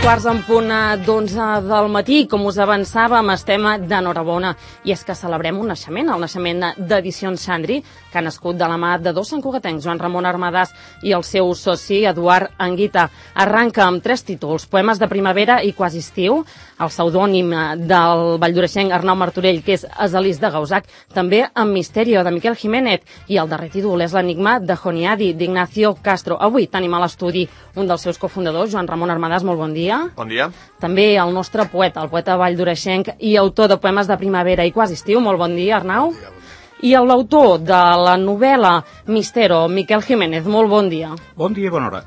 11:15 del matí. Com us avançàvem, estem d'enhorabona. I és que celebrem un naixement, el naixement d'Edicions Xandri, que ha nascut de la mà de dos santcugatencs, Joan Ramon Armadàs i el seu soci Eduard Anguita. Arranca amb 3 títols, Poemes de primavera i Quasi estiu, el pseudònim del valldoreixenc Arnau Martorell, que és Asalís de Gausac, també amb Misterio, de Miquel Jiménez, i el darrer títol és l'Enigma de Joniadi, d'Ignacio Castro. Avui tenim a l'estudi un dels seus cofundadors, Joan Ramon Armadàs, molt bon dia. Bon dia. També el nostre poeta, el poeta valldoreixenc i autor de Poemes de primavera i Quasi estiu. Molt bon dia, Arnau. Bon dia. I l'autor de la novel·la Mistero, Miquel Jiménez. Molt bon dia. Bon dia i bona hora.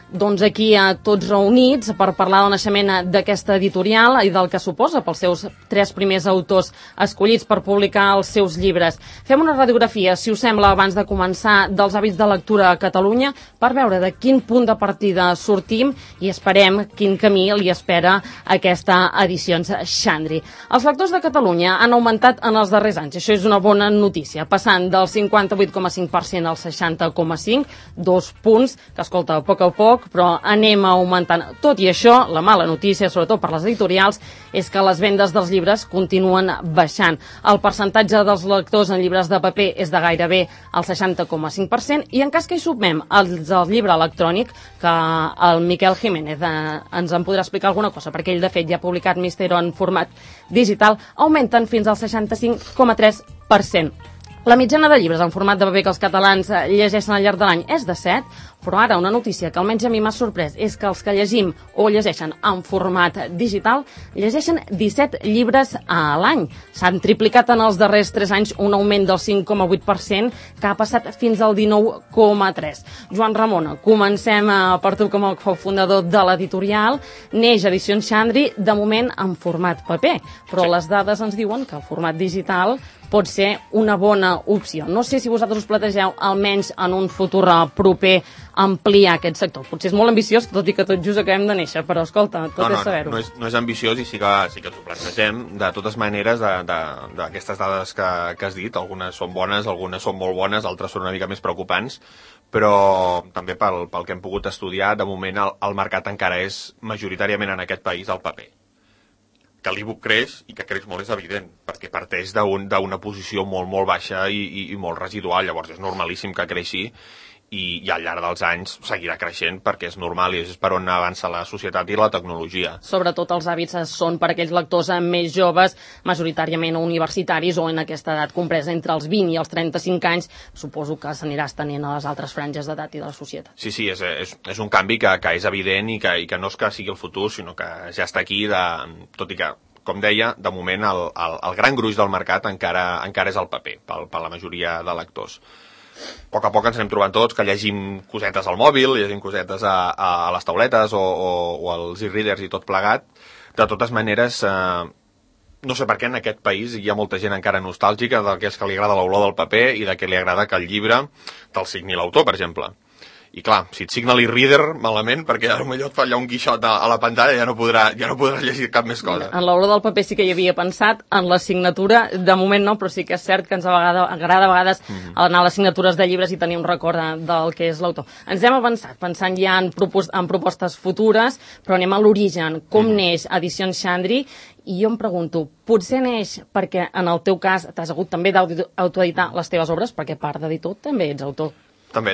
Doncs aquí tots reunits per parlar del naixement d'aquesta editorial i del que suposa pels seus 3 primers autors escollits per publicar els seus llibres. Fem una radiografia, si us sembla, abans de començar, dels hàbits de lectura a Catalunya per veure de quin punt de partida sortim i esperem quin camí li espera aquesta Edicions Xandri. Els lectors de Catalunya han augmentat en els darrers anys, això és una bona notícia, passant del 58,5% al 60,5%, 2 punts, que escolta, a poc, però anem augmentant. Tot i això, la mala notícia, sobretot per les editorials, és que les vendes dels llibres continuen baixant. El percentatge dels lectors en llibres de paper és de gairebé el 60,5%, i en cas que hi sumem el llibre electrònic, que el Miquel Jiménez ens en podrà explicar alguna cosa, perquè ell, de fet, ja ha publicat Mistero en format digital, augmenten fins al 65,3%. La mitjana de llibres en format de paper que els catalans llegeixen al llarg de l'any és de 7, però ara una notícia que almenys a mi m'ha sorprès és que els que llegim o llegeixen en format digital llegeixen 17 llibres a l'any. S'han triplicat en els darrers 3 anys un augment del 5,8% que ha passat fins al 19,3%. Joan Ramon, comencem per tu com a cofundador de l'editorial. Neix Edicions Xandri, de moment en format paper, però les dades ens diuen que el format digital pot ser una bona opció. No sé si vosaltres us plantegeu, almenys en un futur proper, ampliar aquest sector. Potser és molt ambiciós, tot i que tot just acabem de néixer, però escolta, tot és saber-ho. No és ambiciós i sí que ens ho plantegem. De totes maneres, d'aquestes dades que has dit, algunes són bones, algunes són molt bones, altres són una mica més preocupants, però també pel que hem pogut estudiar, de moment el mercat encara és majoritàriament en aquest país el paper. Que l'e-book creix, i que creix molt és evident, perquè parteix d'una posició molt baixa i molt residual, llavors és normalíssim que creixi, i al llarg dels anys seguirà creixent perquè és normal i és per on avança la societat i la tecnologia. Sobretot els hàbits són per aquells lectors més joves, majoritàriament universitaris o en aquesta edat compresa entre els 20 i els 35 anys, suposo que s'anirà estenent a les altres franges d'edat i de la societat. Sí, és un canvi que és evident i que no és que sigui el futur, sinó que ja està aquí, tot i que, com deia, de moment el gran gruix del mercat encara és el paper, per la majoria de lectors. A poc ens anem trobant tots que llegim cosetes al mòbil, llegim cosetes a les tauletes o als e-readers i tot plegat. De totes maneres, no sé per què en aquest país hi ha molta gent encara nostàlgica d'aquells que li agrada l'olor del paper i de que li agrada que el llibre te'l signi l'autor, per exemple. I clar, si et signa l'e-reader, malament, perquè potser et fa allà un guixot a la pantalla i ja no podràs llegir cap més cosa. En l'olor del paper sí que hi havia pensat, en la signatura, de moment no, però sí que és cert que ens agrada a vegades anar a les signatures de llibres i tenir un record del que és l'autor. Ens hem avançat, pensant ja en propostes futures, però anem a l'origen. Com neix Edicions Xandri? I jo em pregunto, potser neix perquè en el teu cas t'has hagut també d'autoeditar les teves obres, perquè a part d'editor també ets autor. També.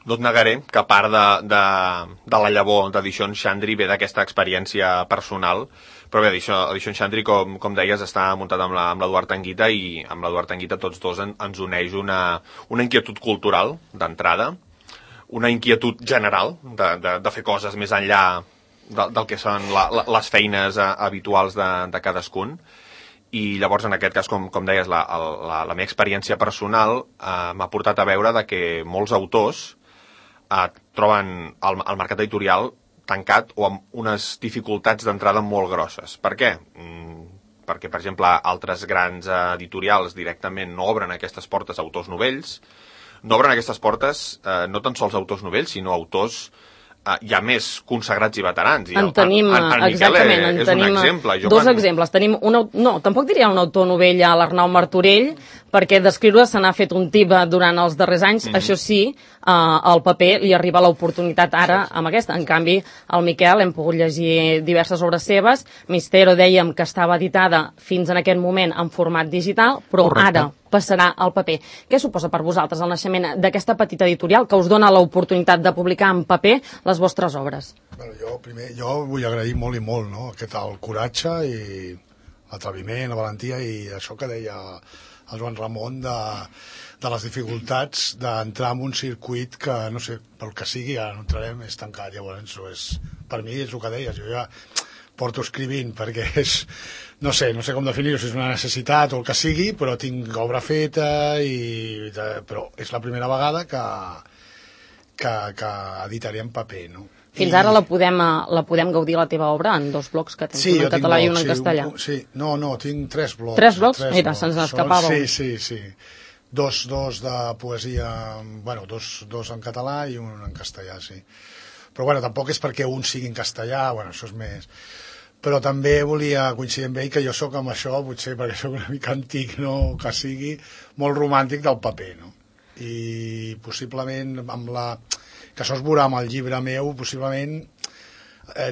No et negaré que part de la llavor d'Edicions Xandri ve d'aquesta experiència personal, però bé, Edicions Xandri, com deies, està muntat amb l'Eduard Anguita, i amb l'Eduard Anguita tots dos ens uneix una inquietud cultural, d'entrada, una inquietud general de fer coses més enllà del que són les feines habituals de cadascun. I llavors, en aquest cas, com deies, la meva experiència personal m'ha portat a veure que molts autors troben el mercat editorial tancat o amb unes dificultats d'entrada molt grosses. Per què? Perquè, per exemple, altres grans editorials directament no obren aquestes portes a autors novells. No obren aquestes portes no tan sols a autors novells, sinó a autors hi ha més consagrats i veterans. En tenim, exactament, en tenim dos exemples. Tenim tampoc diria un autor novell a l'Arnau Martorell, perquè d'escriure se n'ha fet un tip durant els darrers anys. Això sí, al paper li arriba l'oportunitat ara amb aquesta. En canvi, el Miquel hem pogut llegir diverses obres seves. Mistero dèiem que estava editada fins en aquest moment en format digital, però ara passarà al paper. Què suposa per vosaltres el naixement d'aquesta petita editorial que us dona l'oportunitat de publicar en paper les vostres obres? Jo vull agrair molt i molt, no? El coratge i l'atreviment, la valentia i això que deia el Joan Ramon de les dificultats d'entrar en un circuit que, no sé, pel que sigui, ara no entrarem, és tancat. Llavors, per mi és el que deies, jo ja porto escrivint perquè és, no sé com definir-ho, si és una necessitat o el que sigui, però tinc obra feta, però és la primera vegada que editaré en paper, no? Fins ara la podem gaudir la teva obra en 2 blocs que tens, un en català i un en castellà. No, tinc 3 blocs. 3 blocs? Mira, se'ns n'escapava. Sí. Dos de poesia, dos en català i un en castellà, sí. Però tampoc és perquè un sigui en castellà, això és més. Però també volia coincidir amb ell que jo sóc amb això, potser perquè sóc una mica antic, no? Que sigui molt romàntic del paper, no? I possiblement que això es veurà amb el llibre meu, possiblement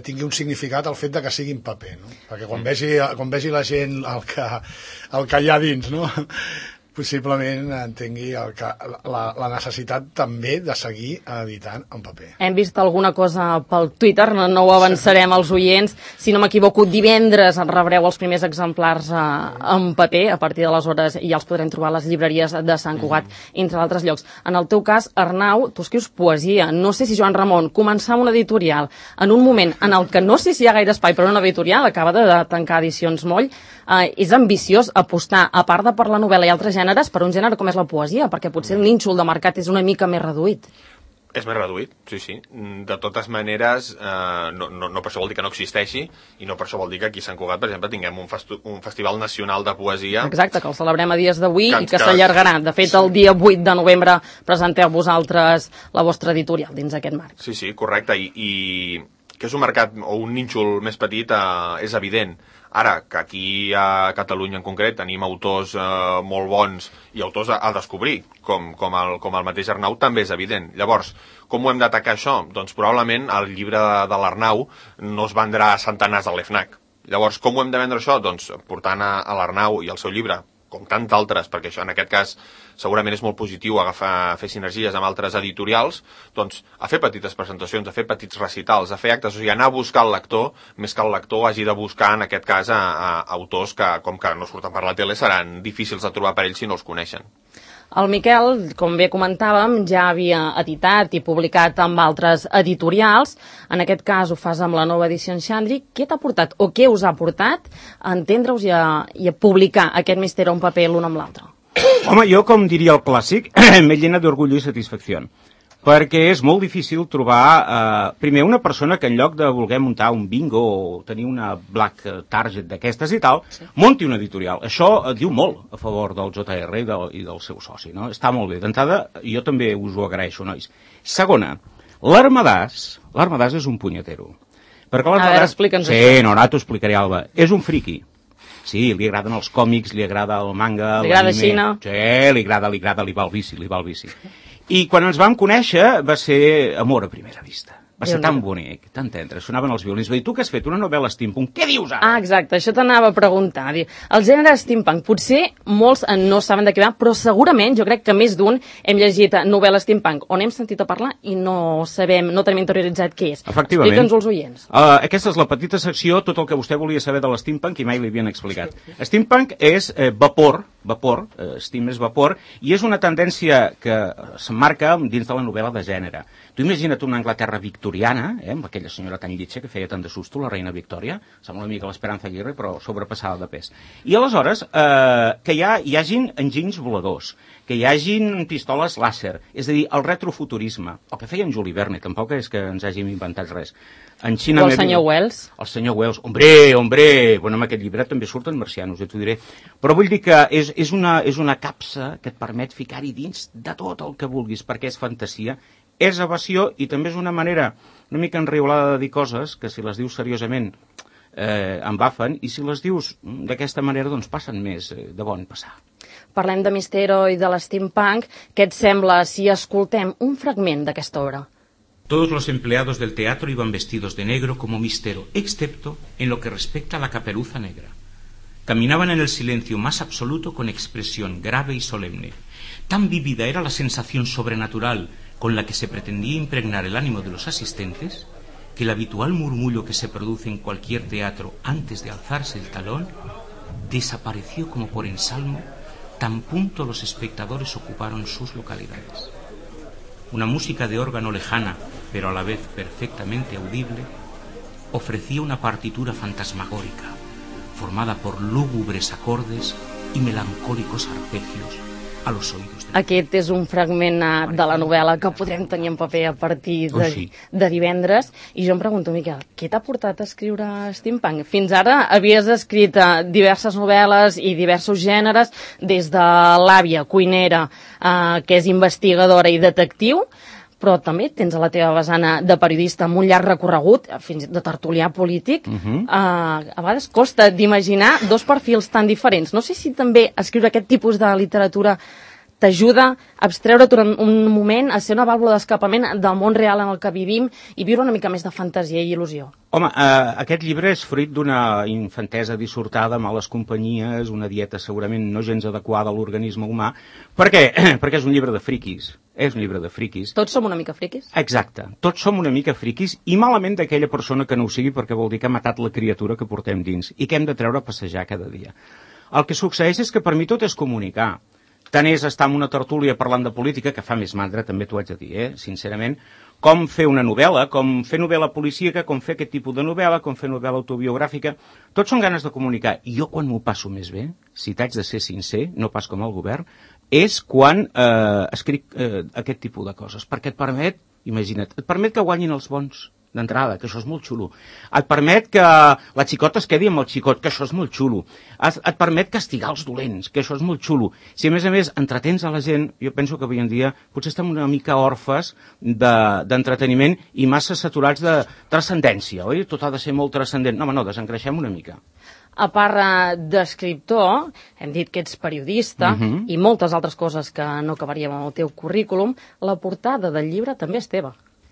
tingui un significat el fet de que sigui en paper, no? Perquè quan vegi la gent el que hi ha dins, no? Possiblement entengui la necessitat també de seguir editant en paper. Hem vist alguna cosa pel Twitter, no ho avançarem als oients. Si no m'equivoco, divendres rebreu els primers exemplars en paper, a partir d'aleshores ja els podrem trobar a les llibreries de Sant Cugat, entre altres llocs. En el teu cas, Arnau, tu escrius poesia. No sé si Joan Ramon començar una editorial en un moment en el que no sé si hi ha gaire espai per una editorial, acaba de tancar Edicions Moll, és ambiciós apostar, a part de per la novel·la i altres gèneres, per un gènere com és la poesia, perquè potser el nínxol de mercat és una mica més reduït. És més reduït, sí. De totes maneres, no per això vol dir que no existeixi, i no per això vol dir que aquí a Sant Cugat, per exemple, tinguem un festival nacional de poesia. Exacte, que el celebrem a dies d'avui i que s'allargarà. De fet, el dia 8 de novembre presenteu vosaltres la vostra editorial dins aquest marc. Sí, correcte, i que és un mercat o un nínxol més petit és evident. Ara, que aquí a Catalunya en concret tenim autors molt bons i autors a descobrir, com el mateix Arnau, també és evident. Llavors, com ho hem d'atacar això? Doncs probablement el llibre de l'Arnau no es vendrà a centenars a l'EFNAC. Llavors, com ho hem de vendre això? Doncs portant a l'Arnau i el seu llibre, com tant altres, perquè això en aquest cas segurament és molt positiu fer sinergies amb altres editorials, doncs a fer petites presentacions, a fer petits recitals, a fer actes, o sigui, anar a buscar el lector, més que el lector hagi de buscar, en aquest cas, autors que, com que no surten per la tele, seran difícils de trobar per ells si no els coneixen. El Miquel, com bé comentàvem, ja havia editat i publicat amb altres editorials. En aquest cas ho fas amb la nova edició en Xandri. Què t'ha portat o què us ha portat a entendre-us i a publicar aquest Mistero en paper l'un amb l'altre? Home, jo, com diria el clàssic, m'he llenat d'orgull i satisfacció. Perquè és molt difícil trobar, primer, una persona que en lloc de voler muntar un bingo o tenir una black target d'aquestes i tal, munti una editorial. Això diu molt a favor del JR i del seu soci, no? Està molt bé. D'entrada, jo també us ho agraeixo, nois. Segona, l'Armadàs és un punyetero. Perquè l'Armadàs... explica'ns això. Sí, no, ara t'ho explicaré, Alba. És un friqui. Sí, li agraden els còmics, li agrada el manga, li agrada Xina. Sí, li va el vici. I quan ens vam conèixer va ser amor a primera vista. Va ser tan bonic, tan tendre, sonaven els violins. Va dir, tu que has fet una novel·la steampunk, què dius ara? Exacte, això t'anava a preguntar. El gènere steampunk, potser molts no saben de què va, però segurament, jo crec que més d'un hem llegit novel·la steampunk on hem sentit a parlar i no tenim interioritzat què és. Efectivament. Explica'ns als oients. Aquesta és la petita secció, tot el que vostè volia saber de l'steampunk i mai li havien explicat. Steampunk és vapor, steam és vapor, i és una tendència que s'emmarca dins de la novel·la de gènere. Tu imagina't una Anglaterra victoriana, amb aquella senyora tan lletja que feia tant de susto, la reina Victòria, sembla una mica l'Esperanza Aguirre, però sobrepassada de pes. I aleshores, que hi hagin enginys voladors, que hi hagin pistoles làser, és a dir, el retrofuturisme, el que feia en Juli Verne, tampoc és que ens hàgim inventat res. En Xina, o el senyor Wells. El senyor Wells, hombre, bueno, en aquest llibre també surten marcianos, ja t'ho diré. Però vull dir que és una capsa que et permet ficar-hi dins de tot el que vulguis, perquè és fantasia, és evasió i també és una manera una mica enriolada de dir coses que si les dius seriosament embafen, i si les dius d'aquesta manera doncs passen més de bon passar. Parlem de Mistero i de l'steampunk. Què et sembla si escoltem un fragment d'aquesta obra? Todos los empleados del teatro iban vestidos de negro como Mistero, excepto en lo que respecta a la caperuza negra. Caminaban en el silencio más absoluto con expresión grave y solemne. Tan vívida era la sensación sobrenatural con la que se pretendía impregnar el ánimo de los asistentes, que el habitual murmullo que se produce en cualquier teatro antes de alzarse el talón desapareció como por ensalmo, tan pronto los espectadores ocuparon sus localidades. Una música de órgano lejana, pero a la vez perfectamente audible, ofrecía una partitura fantasmagórica, formada por lúgubres acordes y melancólicos arpegios a los oídos de... Aquest és un fragment de la novel·la que podrem tenir en paper a partir de divendres. I jo em pregunto, Miquel, què t'ha portat a escriure steampunk? Fins ara havies escrit diverses novel·les i diversos gèneres, des de l'àvia cuinera, que és investigadora i detectiu, però també tens a la teva vessant de periodista amb un llarg recorregut, fins de tertulià polític. A vegades costa d'imaginar dos perfils tan diferents. No sé si també escriure aquest tipus de literatura t'ajuda a abstreure durant un moment, a ser una vàlvula d'escapament del món real en el que vivim i viure una mica més de fantasia i il·lusió. Home, aquest llibre és fruit d'una infantesa dissortada, males companyies, una dieta segurament no gens adequada a l'organisme humà. Per què? Perquè és un llibre de friquis. És un llibre de friquis. Tots som una mica friquis? Exacte. Tots som una mica friquis i malament d'aquella persona que no ho sigui, perquè vol dir que ha matat la criatura que portem dins i que hem de treure a passejar cada dia. El que succeeix és que per mi tot és comunicar. Tant és estar en una tertúlia parlant de política, que fa més mandra, també t'ho haig de dir, sincerament, com fer una novel·la, com fer novel·la policíaca, com fer aquest tipus de novel·la, com fer novel·la autobiogràfica. Tots són ganes de comunicar. I jo quan m'ho passo més bé, si t'haig de ser sincer, no pas com el govern, és quan escric aquest tipus de coses, perquè et permet, imagina't, et permet que guanyin els bons d'entrada, que això és molt xulo. Et permet que la xicota es quedi amb el xicot, que això és molt xulo. Et permet castigar els dolents, que això és molt xulo. Si a més entretens a la gent, jo penso que avui en dia potser estem una mica orfes d'entreteniment i massa saturats de transcendència, oi? Tot ha de ser molt transcendent. No, home, no, desengreixem una mica. A part d'escriptor, hem dit que ets periodista i moltes altres coses que no acabaríem amb el teu currículum, la portada del llibre també és teva.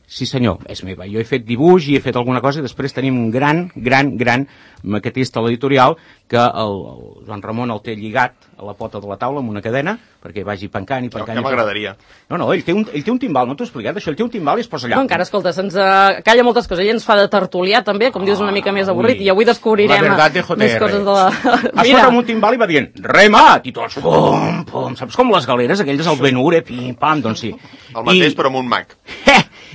Sí senyor, és meva. Jo he fet dibuix i he fet alguna cosa i després tenim un gran maquetista a l'editorial que el Joan Ramon el té lligat a la pota de la taula amb una cadena perquè vagi pencant i pencant. Que m'agradaria. No, ell té un timbal, no t'ho he explicat això, ell té un timbal i es posa allà. No, encara, escolta, se'ns calla moltes coses, ell ens fa de tertulià també, com dius, una mica més avorrit, i avui descobrirem més coses de la... Es posa amb un timbal i va dient, remat, i tots, pum, pum, saps com les galeres, aquelles al Ben-Hur, pim, pam, doncs sí. El mateix, però amb un Mac.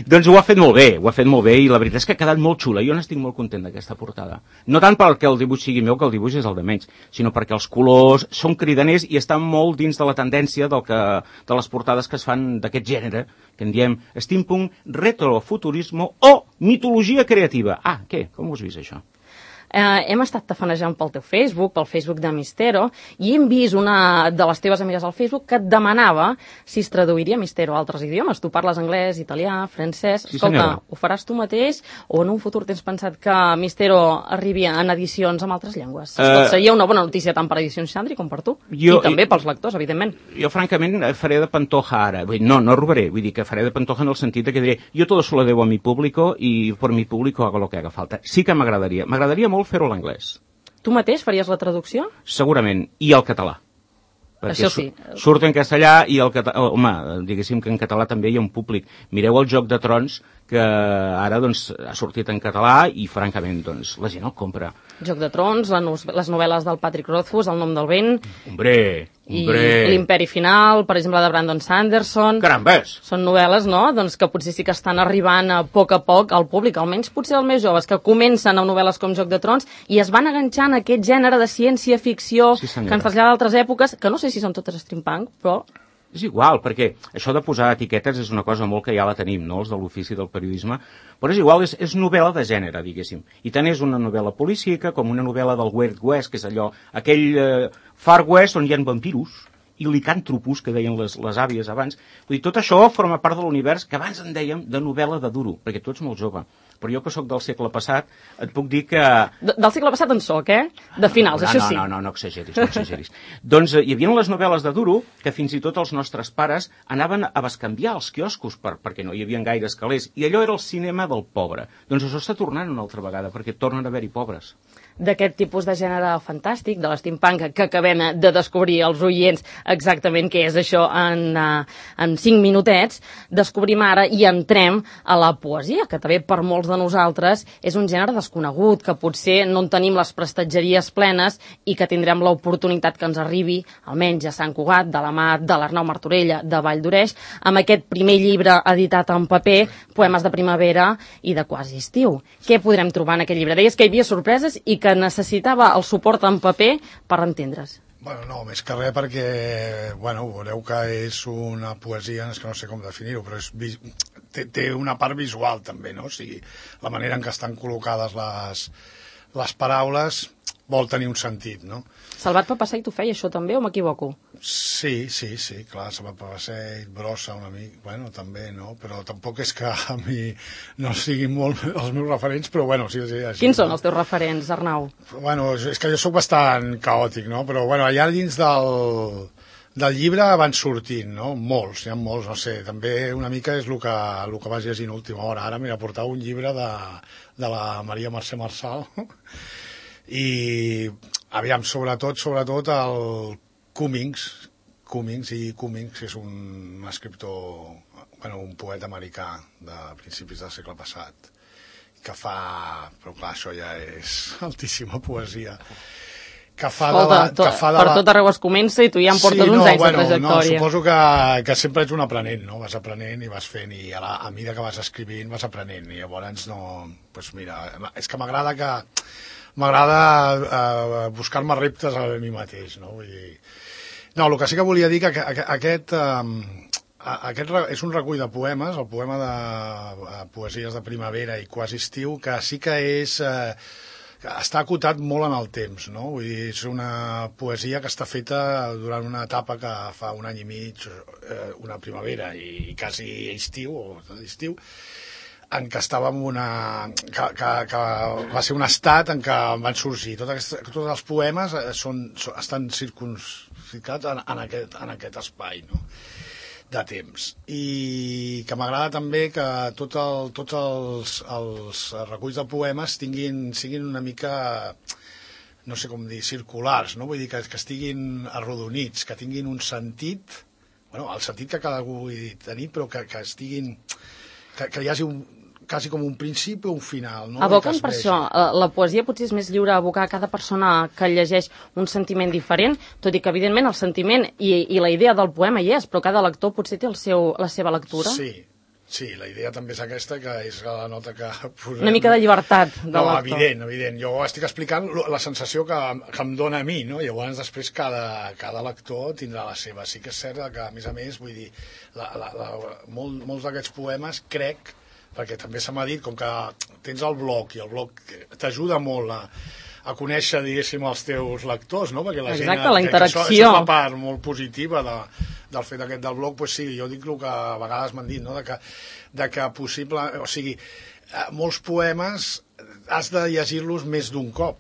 Doncs ho ha fet molt bé, i la veritat és que ha quedat molt xula. Jo n'estic molt content d'aquesta portada. No tant perquè el dibuix sigui meu, que el dibuix és el de menys, sinó perquè els colors són cridaners i estan molt dins de la tendència de les portades que es fan d'aquest gènere, que en diem steampunk, retrofuturismo o mitologia creativa. Què? Com ho has vist, això? Hem estat tafanejant pel teu Facebook, pel Facebook de Mistero, i hem vist una de les teves amigues al Facebook que et demanava si es traduiria Mistero a altres idiomes. Tu parles anglès, italià, francès... Sí, escolta, senyora. ho faràs tu mateix o en un futur tens pensat que Mistero arribi en edicions en altres llengües? Seria una bona notícia tant per Edicions Xandri com per tu. I també pels lectors, evidentment. Jo, francament, faré de Pantoja ara. No robaré, vull dir que faré de Pantoja en el sentit que diré jo todo se lo debo a mi público y por mi público hago lo que haga falta. Sí que m'agradaria. M'agradaria molt fer-ho a l'anglès. Tu mateix faries la traducció? Segurament. I el català. Perquè això sí. Surt en castellà i el català... Home, diguéssim que en català també hi ha un públic. Mireu el Joc de Trons, que ara doncs, ha sortit en català i, francament, doncs, la gent el compra. Joc de Trons, les novel·les del Patrick Rothfuss, El nom del vent... Hombre! I L'Imperi Final, per exemple, de Brandon Sanderson... Carambes! Són novel·les, no?, doncs que potser sí que estan arribant a poc al públic, almenys potser els més joves, que comencen amb novel·les com Joc de Trons i es van enganxant a aquest gènere de ciència-ficció que ens trasllada d'altres èpoques, que no sé si són totes steampunk, però... És igual, perquè això de posar etiquetes és una cosa molt que ja la tenim, no?, els de l'ofici del periodisme, però és igual, és novel·la de gènere, diguéssim. I tant és una novel·la policíaca com una novel·la del Wild West, que és allò, aquell Far West on hi ha vampiros i licàntropus, que deien les àvies abans. Vull dir, tot això forma part de l'univers que abans en dèiem de novel·la de duro, perquè tu ets molt jove. Però jo, que sóc del segle passat, et puc dir que... Del segle passat en soc, De finals, això sí. No exageris, no exageris. Doncs hi havia les novel·les de duro que fins i tot els nostres pares anaven a bescanviar als quioscos perquè no hi havia gaires calés, i allò era el cinema del pobre. Doncs això està tornant una altra vegada, perquè tornen a haver-hi pobres. D'aquest tipus de gènere fantàstic, de l'steampunk, que acabem de descobrir els oients exactament què és això en 5 minutets, descobrim ara i entrem a la poesia, que també per molts de nosaltres és un gènere desconegut, que potser no en tenim les prestatgeries plenes i que tindrem l'oportunitat que ens arribi, almenys a Sant Cugat, de la mà de l'Arnau Martorella, de Valldoreix, amb aquest primer llibre editat en paper, Poemes de primavera i de quasi estiu. Què podrem trobar en aquest llibre? Deies que hi havia sorpreses i que necessitava el suport en paper per entendre's. Bueno, no, més que res perquè, veureu que és una poesia, és que no sé com definir-ho, però té una part visual també, no? O sigui, la manera en què estan col·locades les paraules vol tenir un sentit, no? Salvat Papasseit ho feia, això també, o m'equivoco? Sí, clar, Salvat Papasseit, Brossa una mica, també, no? Però tampoc és que a mi no siguin molt els meus referents, però sí. Així, Quins són els teus referents, Arnau? És que jo sóc bastant caòtic, no? Però, allà dins del llibre van sortint, no? Molts, hi ha molts, no sé, també una mica és el que vas llegir en última hora. Ara m'he portat un llibre de la Maria Mercè Marçal, i aviam, sobretot el Cummings és un escriptor, un poeta americà de principis del segle passat, que fa, però clar, això ja és altíssima poesia, que fa per tot arreu es comença i tu ja em portes uns anys de trajectòria. Suposo que sempre ets un aprenent, no? Vas aprenent i vas fent, i a mesura que vas escrivint vas aprenent, i llavors és que m'agrada buscar-me reptes a mi mateix, no? Vull dir... No, el que sí que volia dir que aquest és un recull de poemes, el poema de poesies de primavera i quasi estiu, que sí que està acotat molt en el temps, no? Vull dir, és una poesia que està feta durant una etapa que fa un any i mig, una primavera i quasi estiu, en què estàvem que va ser un estat en què van sorgir. Tots els poemes estan circumscrits en aquest espai, no? De temps. I que m'agrada també que tots els reculls de poemes siguin una mica, no sé com dir, circulars, no? Vull dir que estiguin arrodonits, que tinguin un sentit, el sentit que cada algú vulgui tenir, però que estiguin, que hi hagi quasi com un principi o un final, no? Aboquen per això. La poesia potser és més lliure a abocar a cada persona que llegeix un sentiment diferent, tot i que evidentment el sentiment i la idea del poema hi és, però cada lector potser té la seva lectura. Sí, la idea també és aquesta, que és la nota que posem. Una mica de llibertat de lector. Evident. Jo estic explicant la sensació que em dóna a mi, no? Llavors després cada lector tindrà la seva. Sí que és cert que, a més, vull dir, molts d'aquests poemes, crec, perquè també se m'ha dit, com que tens el blog, i el blog t'ajuda molt a conèixer, diguéssim, els teus lectors, no? Perquè la gent... Exacte, la interacció. Això és la part molt positiva del fet aquest del blog, doncs sí, jo dic el que a vegades m'han dit, no? De que possible... O sigui, molts poemes has de llegir-los més d'un cop.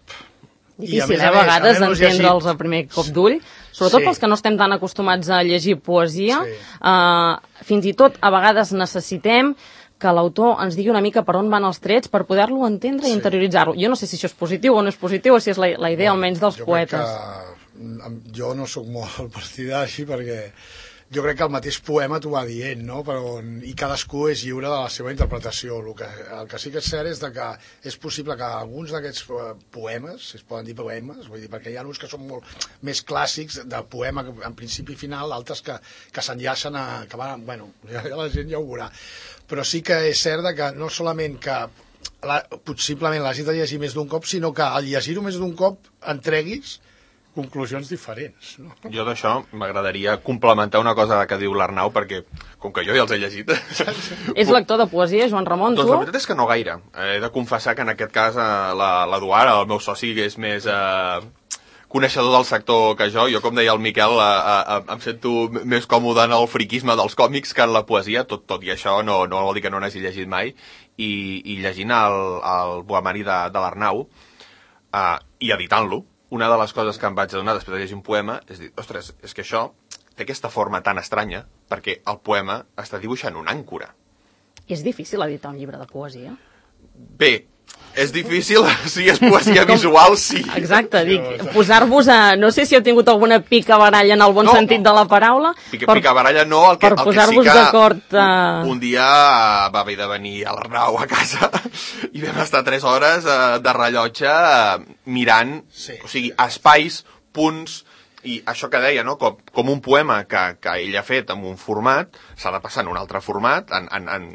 Difícil, a vegades, entendre'ls a primer cop d'ull, sobretot pels que no estem tan acostumats a llegir poesia. Fins i tot, a vegades necessitem que l'autor ens digui una mica per on van els trets per poder-lo entendre i interioritzar-lo. Jo no sé si això és positiu o no és positiu, o si és la idea almenys dels poetes. Jo no sóc molt partidari perquè jo crec que el mateix poema t'ho va dient, no? I cadascú és lliure de la seva interpretació. El que sí que és cert és que és possible que alguns d'aquests poemes, si es poden dir poemes, vull dir, perquè hi ha uns que són molt més clàssics de poema en principi i final, altres que s'enllacen que van, la gent ja ho veurà. Però sí que és cert que no solament que possiblement l'hagis de llegir més d'un cop, sinó que al llegir-ho més d'un cop entreguis conclusions diferents, no? Jo d'això m'agradaria complementar una cosa que diu l'Arnau, perquè com que jo ja els he llegit... És lector de poesia, Joan Ramon, tu? Doncs la veritat és que no gaire. He de confessar que en aquest cas l'Eduard, el meu soci, és més coneixedor del sector que jo, com deia el Miquel, em sento més còmode en el friquisme dels còmics que en la poesia, tot i això no vol dir que no n'hagi llegit mai, i llegint el poemari de l'Arnau i editant-lo, una de les coses que em vaig adonar després de llegir un poema és dir, ostres, és que això té aquesta forma tan estranya perquè el poema està dibuixant una àncora. És difícil editar un llibre de poesia? Bé, és difícil, si és poesia visual, sí. Exacte, dic, posar-vos a... No sé si heu tingut alguna picabaralla en el bon sentit de la paraula. Picabaralla no, el que sí que un dia va haver de venir a l'Arnau a casa i vam estar 3 hores de rellotge mirant, o sigui, espais, punts, i això que deia, no? Com un poema que ell ha fet en un format, s'ha de passar en un altre format,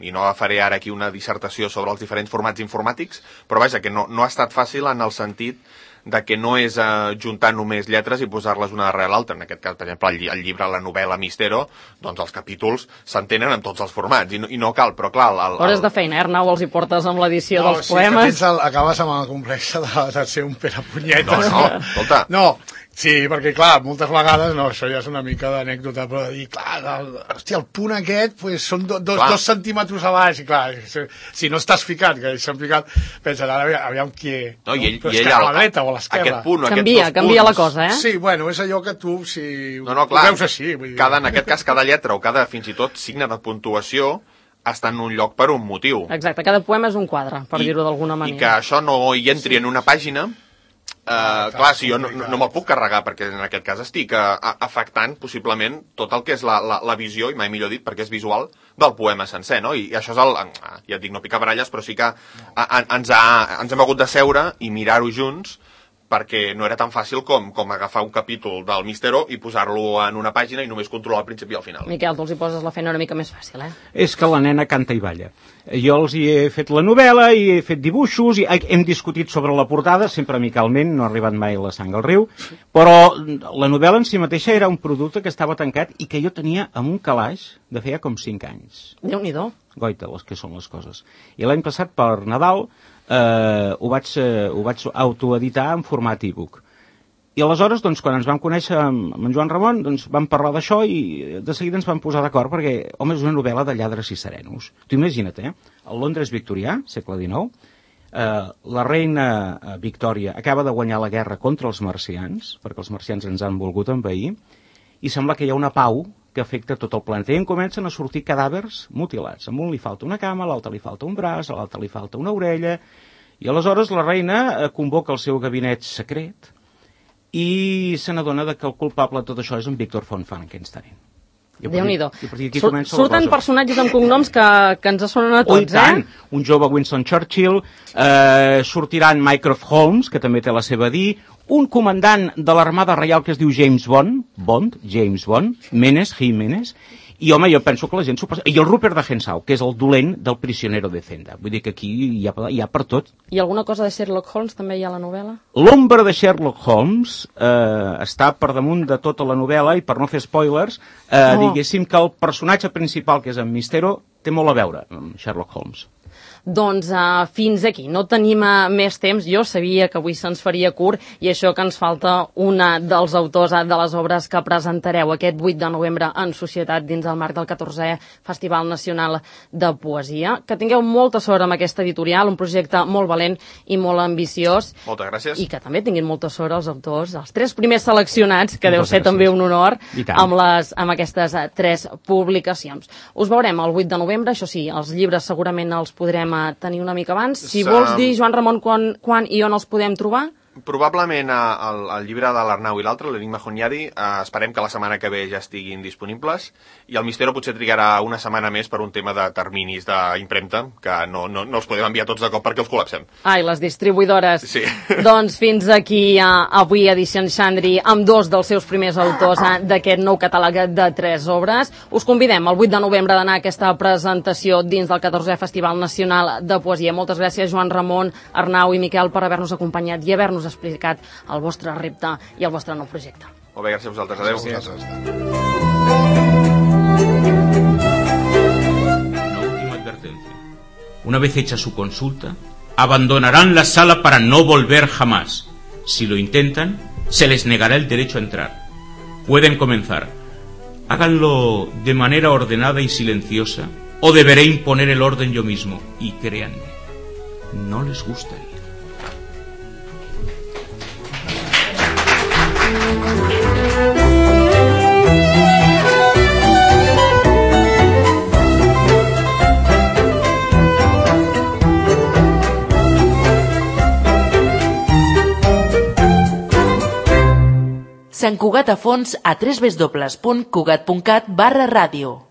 i no faré ara aquí una dissertació sobre els diferents formats informàtics, però vaja, que no ha estat fàcil en el sentit de que no és juntar només lletres i posar-les una darrere l'altra. En aquest cas, per exemple, el llibre, la novel·la Mistero, doncs els capítols s'entenen en tots els formats, i no cal, però clar... Hores de feina, Arnau, els hi portes amb l'edició dels poemes. Sí, que acabes amb el complex de ser un perapunyetes. No, escolta... No, sí, perquè clar, moltes vegades, això ja és una mica d'anècdota, però de dir, clar, hòstia, el punt aquest pues, són 2 centímetres a baix, i clar, si no estàs ficat, que ells s'han ficat, pensen, ara aviam qui... No, i ell a la dreta o a l'esquerra. Aquest punt, canvia la cosa, eh? Sí, bueno, és allò que tu, si ho veus així... En aquest cas, cada lletra o cada, fins i tot, signe de puntuació està en un lloc per un motiu. Exacte, cada poema és un quadre, per dir-ho d'alguna manera. I que això no hi entri en una pàgina... clar, si jo no me'l puc carregar perquè en aquest cas estic afectant possiblement tot el que és la visió, i mai millor dit perquè és visual, del poema sencer, no? I això és ja et dic, no picar baralles, però sí que ens hem hagut de seure i mirar-ho junts perquè no era tan fàcil com agafar un capítol del Mistero i posar-lo en una pàgina i només controlar el principi i el final. Miquel, tu els hi poses la feina una mica més fàcil, eh? És que la nena canta i balla. Jo els hi he fet la novel·la i he fet dibuixos i hem discutit sobre la portada, sempre amicalment, no ha arribat mai la sang al riu, però la novel·la en si mateixa era un producte que estava tancat i que jo tenia en un calaix de feia com 5 anys. Déu-n'hi-do. Goita, les que són les coses. I l'any passat, per Nadal, ho vaig autoeditar en format e-book. I aleshores, doncs, quan ens vam conèixer amb en Joan Ramon, doncs, vam parlar d'això i de seguida ens vam posar d'acord perquè, home, és una novel·la de lladres i serenos. Tu imagina't, el Londres victorià, segle XIX, la reina Victòria acaba de guanyar la guerra contra els marcians, perquè els marcians ens han volgut envair, i sembla que hi ha una pau que afecta tot el planeta. I en comencen a sortir cadàvers mutilats. A un li falta una cama, a l'altre li falta un braç, a l'altre li falta una orella, i aleshores la reina convoca el seu gabinet secret i se n'adona que el culpable de tot això és en Victor von Frankenstein. Déu-n'hi-do. Surten personatges amb cognoms que ens sonen a tots, Un jove Winston Churchill, sortiran Mycroft Holmes, que també té la seva dir, un comandant de l'Armada Reial que es diu James Bond, Menes, Jiménez, i home, jo penso que la gent s'ho passa... I el Rupert de Hentzau, que és el dolent del Prisionero de Zenda. Vull dir que aquí hi ha per tot. I alguna cosa de Sherlock Holmes també hi ha a la novel·la? L'ombra de Sherlock Holmes està per damunt de tota la novel·la i per no fer spoilers, diguéssim que el personatge principal, que és en Mistero, té molt a veure amb Sherlock Holmes. Doncs fins aquí, no tenim més temps. Jo sabia que avui se'ns faria curt i això que ens falta una dels autors de les obres que presentareu aquest 8 de novembre en Societat dins el marc del 14è Festival Nacional de Poesia. Que tingueu molta sort amb aquesta editorial, un projecte molt valent i molt ambiciós. Moltes gràcies. I que també tinguin molta sort els autors, els 3 primers seleccionats, que deu ser també un honor amb aquestes 3 publicacions. Us veurem el 8 de novembre, això sí, els llibres segurament els podrem tenir una mica abans. Si vols dir, Joan Ramon, quan i on els podem trobar? Probablement el llibre de l'Arnau i l'altre, l'Enigma Hunyadi, esperem que la setmana que ve ja estiguin disponibles, i el Mistero potser trigarà una setmana més per un tema de terminis d'impremta, que no els podem enviar tots de cop perquè els col·lapsem. Ai, les distribuïdores. Sí. Doncs fins aquí avui Edicions Xandri amb 2 dels seus primers autors d'aquest nou catàleg de 3 obres. Us convidem el 8 de novembre d'anar a aquesta presentació dins del 14è Festival Nacional de Poesia. Moltes gràcies, Joan Ramon, Arnau i Miquel, per haver-nos acompanyat i haver-nos explicat el vostre repte i el vostre nou projecte. Molt bé, gràcies a vosaltres. Adéu. Una última advertencia. Una vez hecha su consulta, abandonarán la sala para no volver jamás. Si lo intentan, Se les negará el derecho a entrar. Pueden comenzar. Háganlo de manera ordenada y silenciosa, o deberé imponer el orden yo mismo. Y créanme, no les gustaría. Sant Cugat a fons a www.cugat.cat/ràdio.